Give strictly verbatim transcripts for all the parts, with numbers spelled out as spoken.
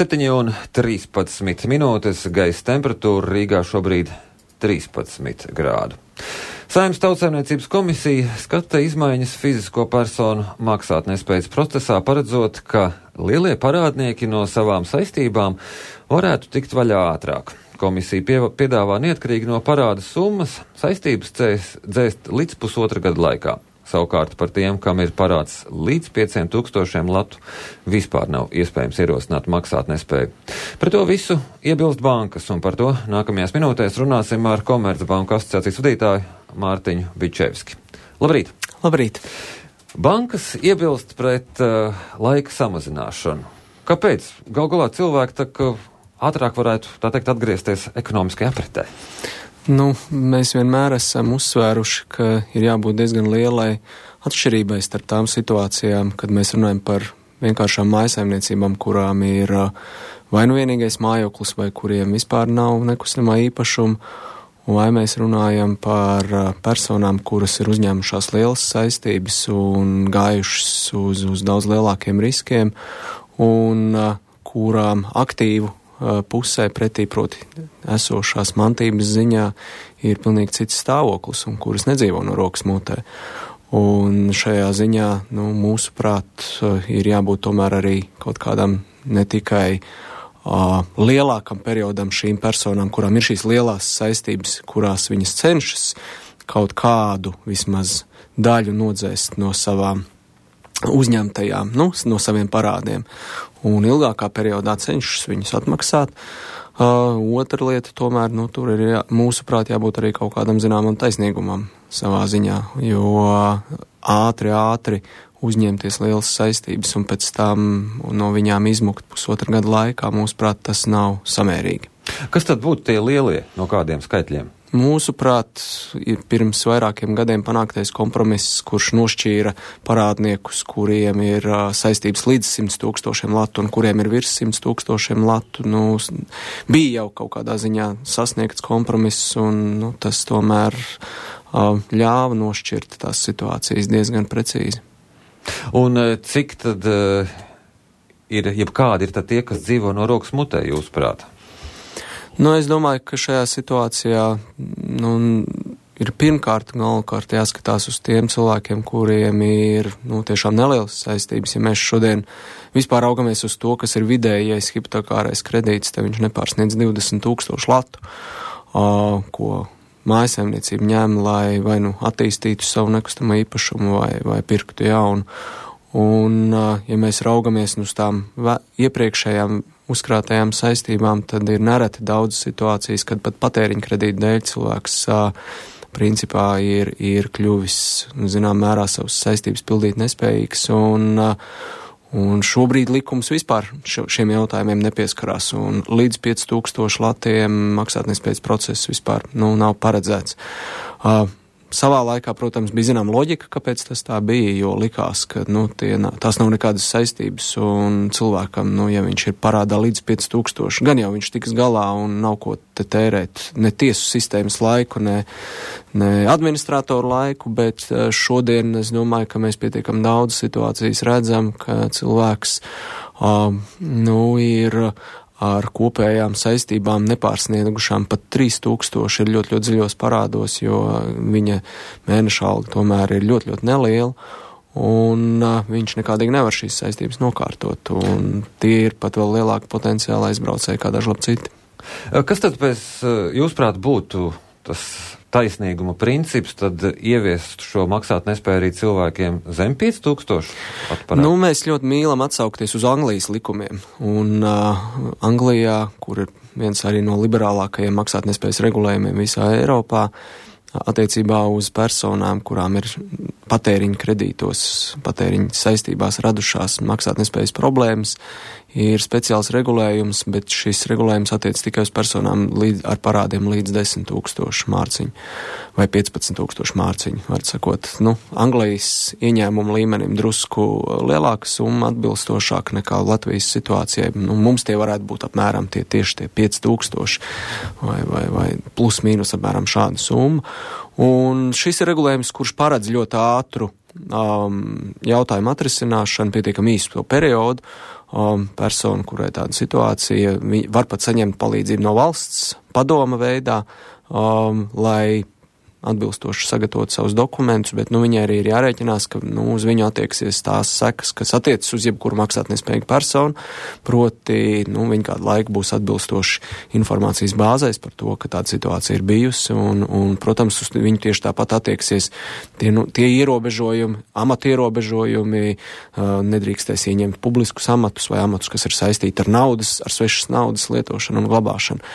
septiņi un trīspadsmit minūtes, gaisa temperatūra Rīgā šobrīd trīspadsmit grādu. Saeimas Tautsaimniecības komisija skata izmaiņas fizisko personu maksātnespējas procesā, paredzot, ka lielie parādnieki no savām saistībām varētu tikt vaļā ātrāk. Komisija pie, piedāvā neatkarīgi no parāda summas saistības dzēst, dzēst līdz pusotra gada laikā. Savukārt par tiem, kam ir parāds līdz pieciem tūkstošiem latu, vispār nav iespējams ierosināt maksātnespēju. Par to visu iebilst bankas, un par to nākamajās minūtēs runāsim ar Komercbanku asociācijas vadītāju Mārtiņu Bičevski. Labrīt! Labrīt! Bankas iebilst pret uh, laika samazināšanu. Kāpēc? Gal galā cilvēki tā, ka ātrāk varētu, tā teikt, atgriezties ekonomiskajā apritē. Nu, mēs vienmēr esam uzsvēruši, ka ir jābūt diezgan lielai atšķirībai starp tām situācijām, kad mēs runājam par vienkāršām mājasaimniecībām, kurām ir vai nu vienīgais mājoklis, vai kuriem vispār nav nekustamā īpašuma, vai mēs runājam par personām, kuras ir uzņēmušās lielas saistības un gājušas uz, uz daudz lielākiem riskiem, un kurām aktīvu pusē pretī proti esošās mantības ziņā ir pilnīgi cits stāvoklis un kuras nedzīvo no rokas mutē. Un šajā ziņā, nu, mūsuprāt, ir jābūt tomēr arī kaut kādam ne tikai uh, lielākam periodam šīm personām, kurām ir šīs lielās saistības, kurās viņas cenšas kaut kādu vismaz daļu nodzēst no savām uzņemtajām, nu, no saviem parādiem. Un ilgākā periodā cenšas viņus atmaksāt. Uh, otra lieta tomēr, nu, tur ir jā, mūsuprāt jābūt arī kaut kādam zināmam taisnīgumam savā ziņā, jo ātri, ātri uzņemties lielas saistības un pēc tam no viņām izmukt pusotra gada laikā, mūsuprāt, tas nav samērīgi. Kas tad būtu tie lielie, no kādiem skaitļiem? Mūsuprāt, ir pirms vairākiem gadiem panāktais kompromiss, kurš nošķīra parādniekus, kuriem ir uh, saistības līdz simt tūkstošiem latu un kuriem ir virs simt tūkstošiem latu. Nu, bija jau kaut kādā ziņā sasniegts kompromiss, un nu, tas tomēr uh, ļāva nošķirt tās situācijas diezgan precīzi. Un cik tad uh, ir, jebkādi ir tad tie, kas dzīvo no rokas mutē, jūsuprāt? Nu, es domāju, ka šajā situācijā nu, ir pirmkārt galvenokārt jāskatās uz tiem cilvēkiem, kuriem ir nu, tiešām nelielas saistības. Ja mēs šodien vispār raugamies uz to, kas ir vidējais hipotekārais kredīts, tad viņš nepārsniedz divdesmit tūkstoši latu, uh, ko mājasaimniecība ņem, lai vai nu attīstītu savu nekustamo īpašumu vai, vai pirktu jaunu. Un, uh, ja mēs raugamies uz tām ve- iepriekšējām uzkrātajām saistībām, tad ir nereti daudz situācijas, kad pat patēriņa kredīta dēļ cilvēks uh, principā ir, ir kļuvis, zinām, mērā savas saistības pildīt nespējīgs, un, uh, un šobrīd likums vispār šiem jautājumiem nepieskarās, un līdz pieci tūkstoši latiem maksātnespējas process vispār nu, nav paredzēts. Uh, Savā laikā, protams, bija zinām loģika, kāpēc tas tā bija, jo likās, ka nu, tie, tās nav nekādas saistības un cilvēkam, nu, ja viņš ir parādā līdz pieci tūkstoši, gan jau viņš tiks galā un nav ko te tērēt ne tiesu sistēmas laiku, ne, ne administratoru laiku, bet šodien es domāju, ka mēs pietiekam daudz situācijas redzam, ka cilvēks uh, nu, ir ar kopējām saistībām nepārsniegušām pat trīs tūkstoši ir ļoti, ļoti dziļos parādos, jo viņa mēneša alga tomēr ir ļoti, ļoti neliela, un uh, viņš nekādīgi nevar šīs saistības nokārtot, un tie ir pat vēl lielāki potenciāli aizbraucēji kā daži labi citi. Kas tad pēc jūsuprāt būtu tas taisnīguma princips, tad ieviest šo maksātnespēju arī cilvēkiem zem pieci tūkstoši atparādu? Nu, mēs ļoti mīlam atsaukties uz Anglijas likumiem, un uh, Anglijā, kur ir viens arī no liberālākajiem maksātnespējas regulējumiem visā Eiropā, attiecībā uz personām, kurām ir patēriņa kredītos, patēriņa saistībās radušās maksātnespējas problēmas, ir speciāls regulējums, bet šis regulējums attiec tikai uz personām līdz, ar parādiem līdz desmit tūkstoši mārciņu vai piecpadsmit tūkstoši mārciņu. Var sakot, nu, Anglijas ieņēmumu līmenim drusku lielāka summa atbilstošāk nekā Latvijas situācijai. Nu, mums tie varētu būt apmēram tie tieši tie pieci tūkstoši vai, vai, vai plus mīnus apmēram šāda summa. Un šis ir regulējums, kurš paredz ļoti ātru um, jautājumu atrisināšanu, pietiekami īstu to periodu. um, persona, kurai tāda situācija, var pat saņemt palīdzību no valsts padoma veidā, um, lai atbilstoši sagatavot savus dokumentus, bet nu, viņai arī ir jārēķinās, ka nu, uz viņu attieksies tās sekas, kas attiecas uz jebkuru maksātnespējīgu personu, proti nu, viņa kādu laiku būs atbilstoši informācijas bāzēs par to, ka tāda situācija ir bijusi, un, un protams, uz viņu tieši tāpat attieksies tie, nu, tie ierobežojumi, amatu ierobežojumi, uh, nedrīkstēs ieņemt publiskus amatus vai amatus, kas ir saistīti ar naudas, ar svešas naudas lietošanu un glabāšanu.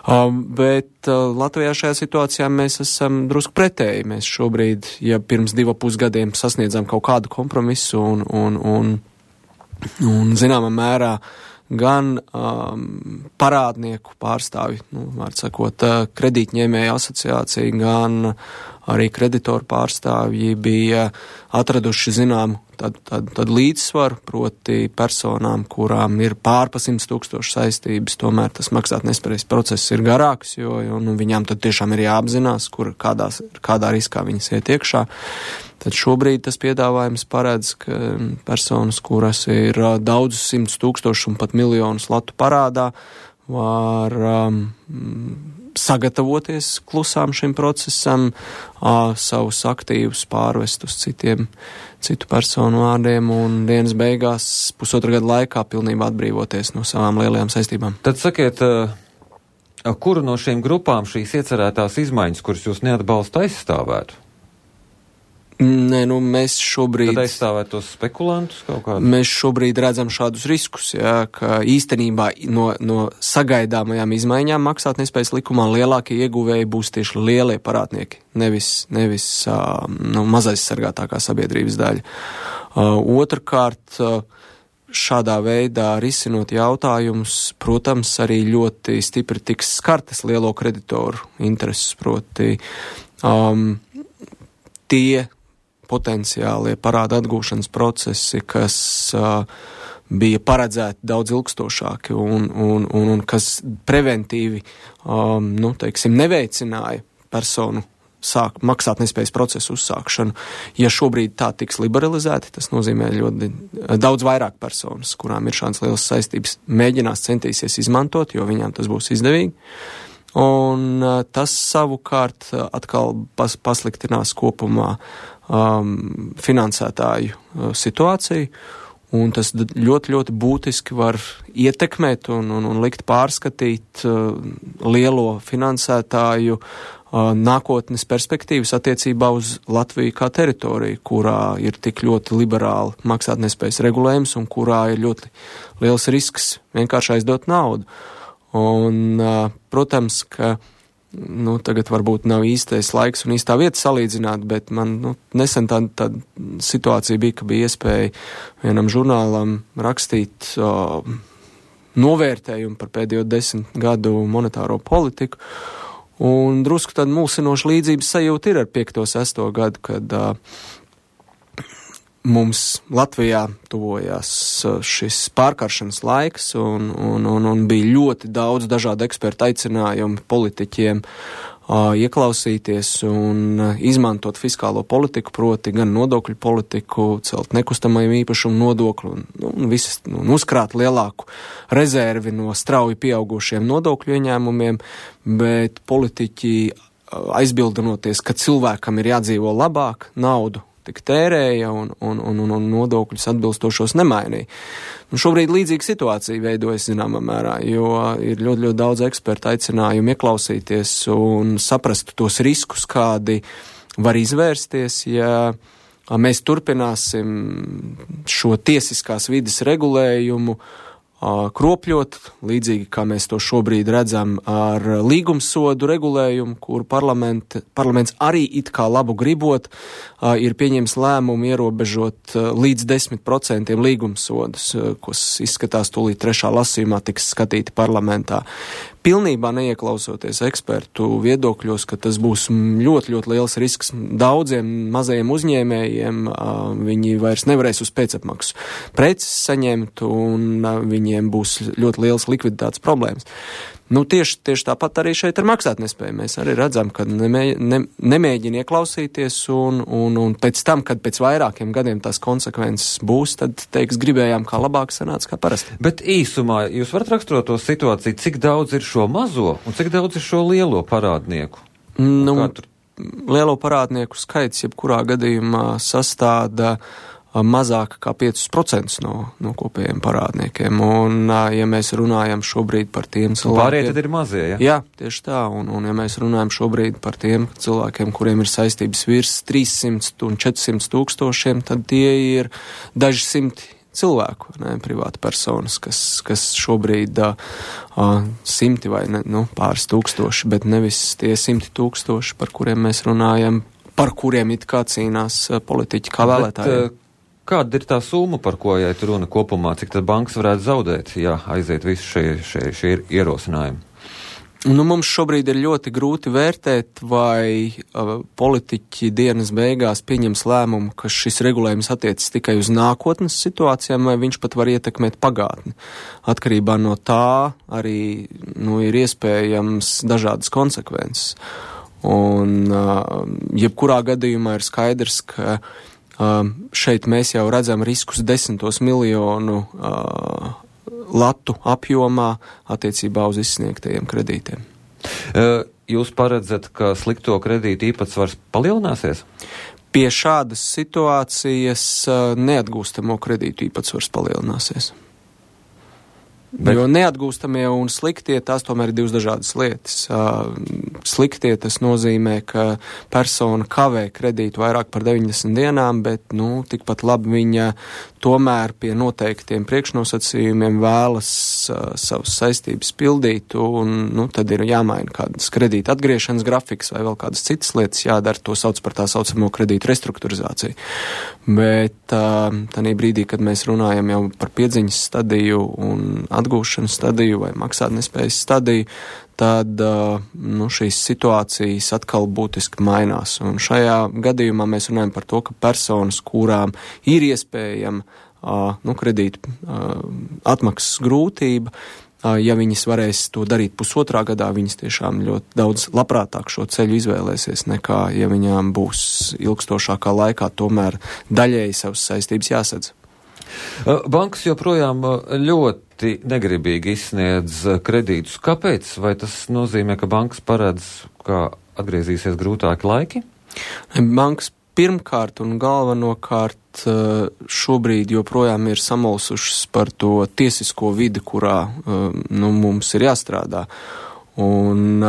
Um, bet uh, Latvijā šajā situācijā mēs esam drusku pretēji. Mēs šobrīd, ja pirms divu pusgadiem sasniedzam kaut kādu kompromisu un, un, un, un zināmā mērā gan um, parādnieku pārstāvi, nu, var sakot, kredītņēmēju asociācija, gan arī kreditoru pārstāvji bija atraduši zināmu tad, tad, tad līdzsvaru, proti personām, kurām ir pārpa simts tūkstoši saistības, tomēr tas maksātnespējas process ir garāks, jo, jo nu, viņām tad tiešām ir jāapzinās, kur kādās, kādā riskā viņas iet iekšā. Tad šobrīd tas piedāvājums paredz, ka personas, kuras ir daudzus simtus tūkstošus un pat miljonus latu parādā, var um, sagatavoties klusām šim procesam, uh, savus aktīvus pārvest uz citiem, citu personu vārdiem un dienas beigās pusotra gada laikā pilnībā atbrīvoties no savām lielajām saistībām. Tad sakiet, uh, kuru no šīm grupām šīs iecerētās izmaiņas, kuras jūs neatbalsta, aizstāvētu? Nē, nu mēs šobrīd... Tad aizstāvēt tos spekulantus kaut kādu? Mēs šobrīd redzam šādus riskus, jā, ka īstenībā no, no sagaidāmajām izmaiņām maksātnespējas likumā lielākie ieguvēji būs tieši lielie parādnieki, nevis, nevis uh, nu, mazaizsargātākā sabiedrības daļa. Uh, otrkārt, uh, šādā veidā risinot jautājumus, protams, arī ļoti stipri tiks skartas lielo kreditoru intereses, proti um, tie potenciālie parāda atgūšanas procesi, kas uh, bija paredzēti daudz ilgstošāki un, un, un, un kas preventīvi, um, nu, teiksim, neveicināja personu sāk maksātnespējas procesu uzsākšanu. Ja šobrīd tā tiks liberalizēti, tas nozīmē ļoti daudz vairāk personas, kurām ir šādas lielas saistības, mēģinās centīsies izmantot, jo viņām tas būs izdevīgi. Un uh, tas savukārt uh, atkal pas, pasliktinās kopumā um, finansētāju uh, situāciju, un tas ļoti, ļoti būtiski var ietekmēt un, un, un likt pārskatīt uh, lielo finansētāju uh, nākotnes perspektīvas attiecībā uz Latviju kā teritoriju, kurā ir tik ļoti liberāli maksātnespējas regulējums un kurā ir ļoti liels risks vienkārši aizdot naudu. Un, protams, ka nu, tagad varbūt nav īstais laiks un īstā vieta salīdzināt, bet man nu, nesen tāda tā situācija bija, ka bija iespēja vienam žurnālam rakstīt o, novērtējumu par pēdējo desmit gadu monetāro politiku. Un drusku tāda mulsinoša līdzības sajūta ir ar piekto sesto gadu, kad uh, mums Latvijā tuvojās šis pārkaršanas laiks un, un, un, un bija ļoti daudz dažādu ekspertu aicinājumu politiķiem uh, ieklausīties un uh, izmantot fiskālo politiku, proti gan nodokļu politiku, celt nekustamajam īpašumu nodokli un, un, visas, un uzkrāt lielāku rezervi no strauji pieaugušiem nodokļu ieņēmumiem, bet politiķi uh, aizbildinoties, ka cilvēkam ir jādzīvo labāk, naudu tik tērēja un, un, un, un nodokļus atbilstošos nemainīja. Un šobrīd līdzīga situācija veidojas zināmā mērā, jo ir ļoti, ļoti daudz ekspertu aicinājumu ieklausīties un saprast tos riskus, kādi var izvērsties, ja mēs turpināsim šo tiesiskās vides regulējumu kropļot, līdzīgi kā mēs to šobrīd redzam ar līgumsodu regulējumu, kur parlaments arī it kā labu gribot ir pieņems lēmumu ierobežot līdz desmit procentiem līgumsodus, kas izskatās tūlīt trešā lasījumā tiks skatīti parlamentā. Pilnībā neieklausoties ekspertu viedokļos, ka tas būs ļoti, ļoti liels risks daudziem mazajiem uzņēmējiem, viņi vairs nevarēs uz pēcapmaksu preces saņemt un viņiem būs ļoti liels likviditātes problēmas. Nu, tieši, tieši tāpat arī šeit ar maksātnespēju. Mēs arī redzam, ka nemē, ne, nemēģina ieklausīties un, un, un pēc tam, kad pēc vairākiem gadiem tās konsekvences būs, tad teiks, gribējām kā labāk, sanāca kā parasti. Bet īsumā jūs varat raksturot to situāciju, cik daudz ir šo mazo un cik daudz ir šo lielo parādnieku? Nu, lielo parādnieku skaits jebkurā gadījumā sastāda mazāk kā piecus procentus no, no kopējiem parādniekiem. Un, ja mēs runājam šobrīd par tiem cilvēkiem... Pārējie tad ir mazie, ja? Jā, tieši tā. Un, un ja mēs runājam šobrīd par tiem cilvēkiem, kuriem ir saistības virs trīssimts un četrsimt tūkstošiem, tad tie ir daži simti cilvēku, ne, privāti personas, kas, kas šobrīd uh, simti vai ne, nu, pāris tūkstoši, bet nevis tie simti tūkstoši, par kuriem mēs runājam, par kuriem it kā cīnās uh, politiķi kā vēlētāji. Bet, uh, kāda ir tā summa, par ko iet runa kopumā, cik tad bankas varētu zaudēt, ja aiziet visi šie, šie, šie ierosinājumi? Nu, mums šobrīd ir ļoti grūti vērtēt, vai uh, politiķi dienas beigās pieņems lēmumu, ka šis regulējums attiecas tikai uz nākotnes situācijām, vai viņš pat var ietekmēt pagātni. Atkarībā no tā arī nu, ir iespējams dažādas konsekvences. Un uh, jebkurā gadījumā ir skaidrs, ka uh, šeit mēs jau redzam riskus desmitos miljonu uh, latu apjomā attiecībā uz izsniegtajiem kredītiem. Jūs paredzat, ka slikto kredītu īpatsvars palielināsies? Pie šādas situācijas neatgūstamo kredītu īpatsvars palielināsies. Bet... Jo neatgūstamie un sliktie, tās tomēr ir divas dažādas lietas. Sliktie tas nozīmē, ka persona kavē kredītu vairāk par deviņdesmit dienām, bet, nu, tikpat labi viņa tomēr pie noteiktiem priekšnosacījumiem vēlas uh, savas saistības pildīt, un, nu, tad ir jāmaina kādas kredīta atgriešanas grafikas vai vēl kādas citas lietas jādara, to sauc par tā saucamo kredītu restruktūrizāciju. Bet uh, tanī brīdī, kad mēs runājam jau par piedziņas stadiju un atgūšanas stadiju vai maksātnespējas stadiju, tad uh, nu, šīs situācijas atkal būtiski mainās. Un šajā gadījumā mēs runājam par to, ka personas, kurām ir iespējama uh, nu, kredīta uh, atmaksas grūtība, uh, ja viņas varēs to darīt pusotrā gadā, viņas tiešām ļoti daudz labprātāk šo ceļu izvēlēsies, nekā ja viņām būs ilgstošākā laikā tomēr daļēji savas saistības jāsadz. Bankas joprojām ļoti negribīgi izsniedz kredītus. Kāpēc? Vai tas nozīmē, ka bankas paredz, ka atgriezīsies grūtāki laiki? Bankas pirmkārt un galvenokārt šobrīd joprojām ir samulsušas par to tiesisko vidi, kurā nu, mums ir jāstrādā. Un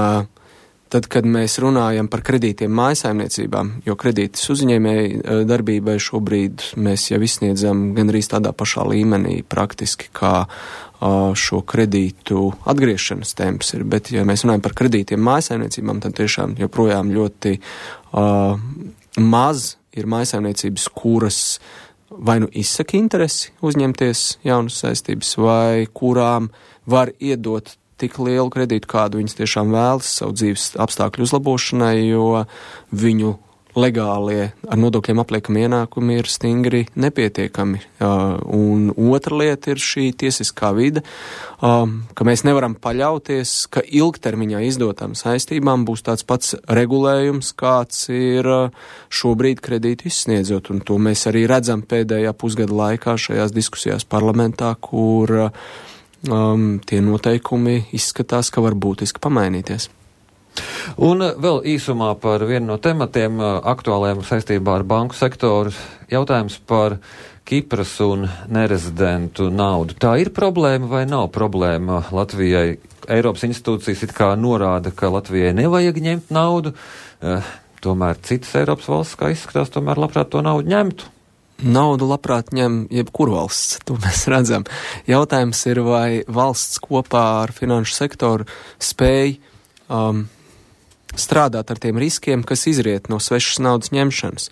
tad, kad mēs runājam par kredītiem mājasaimniecībām, jo kredītas uzņēmēji darbībai šobrīd mēs jau izsniedzam gandrīz tādā pašā līmenī praktiski, kā šo kredītu atgriešanas temps ir. Bet, ja mēs runājam par kredītiem mājasaimniecībām, tad tiešām joprojām ļoti uh, maz ir mājasaimniecības, kuras vai nu izsaka interesi uzņemties jaunas saistības, vai kurām var iedot tik lielu kredītu, kādu viņas tiešām vēlas savu dzīves apstākļu uzlabošanai, jo viņu legālie ar nodokļiem apliekami ienākumi ir stingri nepietiekami. Un otra lieta ir šī tiesiskā vide, ka mēs nevaram paļauties, ka ilgtermiņā izdotām saistībām būs tāds pats regulējums, kāds ir šobrīd kredītu izsniedzot. Un to mēs arī redzam pēdējā pusgada laikā šajās diskusijās parlamentā, kur Um, tie noteikumi izskatās, ka var būtiski pamainīties. Un vēl īsumā par vienu no tematiem aktuāliem saistībā ar banku sektoru. Jautājums par Kipras un nerezidentu naudu. Tā ir problēma vai nav problēma Latvijai? Eiropas institūcijas it kā norāda, ka Latvijai nevajag ņemt naudu, eh, tomēr citas Eiropas valsts, kā izskatās, tomēr labprāt to naudu ņemtu. Naudu labprāt ņem jebkur valsts, to mēs redzam. Jautājums ir, vai valsts kopā ar finanšu sektoru spēj um, strādāt ar tiem riskiem, kas izriet no svešas naudas ņemšanas.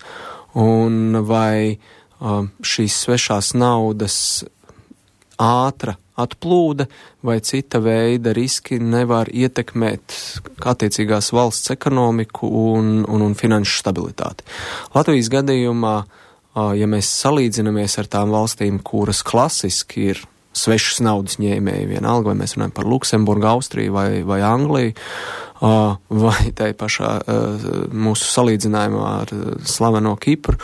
Un vai um, šīs svešās naudas ātra atplūde vai cita veida riski nevar ietekmēt attiecīgās valsts ekonomiku un, un, un finanšu stabilitāti. Latvijas gadījumā, ja mēs salīdzinamies ar tām valstīm, kuras klasiski ir svešas naudas ņēmēji, vienalga, vai mēs runājam par Luksemburgu, Austriju vai, vai Angliju, uh, vai tai pašā uh, mūsu salīdzinājumā ar slaveno Kipru,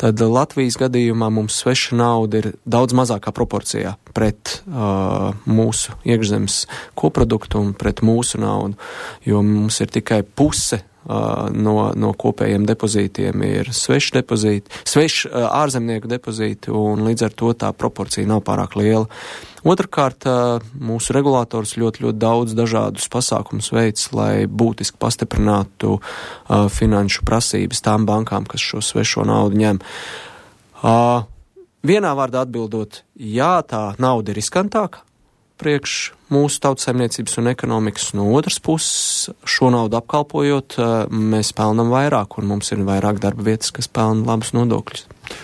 tad Latvijas gadījumā mums sveša nauda ir daudz mazākā proporcijā pret uh, mūsu iekšzemes koproduktu un pret mūsu naudu, jo mums ir tikai puse uh, no, no kopējiem depozītiem ir sveši depozīti, sveši uh, ārzemnieku depozīti, un līdz ar to tā proporcija nav pārāk liela. Otrakārt, uh, mūsu regulators ļoti, ļoti daudz dažādus pasākumus veids, lai būtiski pastiprinātu uh, finanšu prasības tām bankām, kas šo svešo naudu ņem. Uh, vienā vārdā atbildot, jā, tā nauda ir riskantāka priekš mūsu tautsaimniecības un ekonomikas. No otras puses, šo naudu apkalpojot, uh, mēs pelnam vairāk, un mums ir vairāk darba vietas, kas pelna labus nodokļus.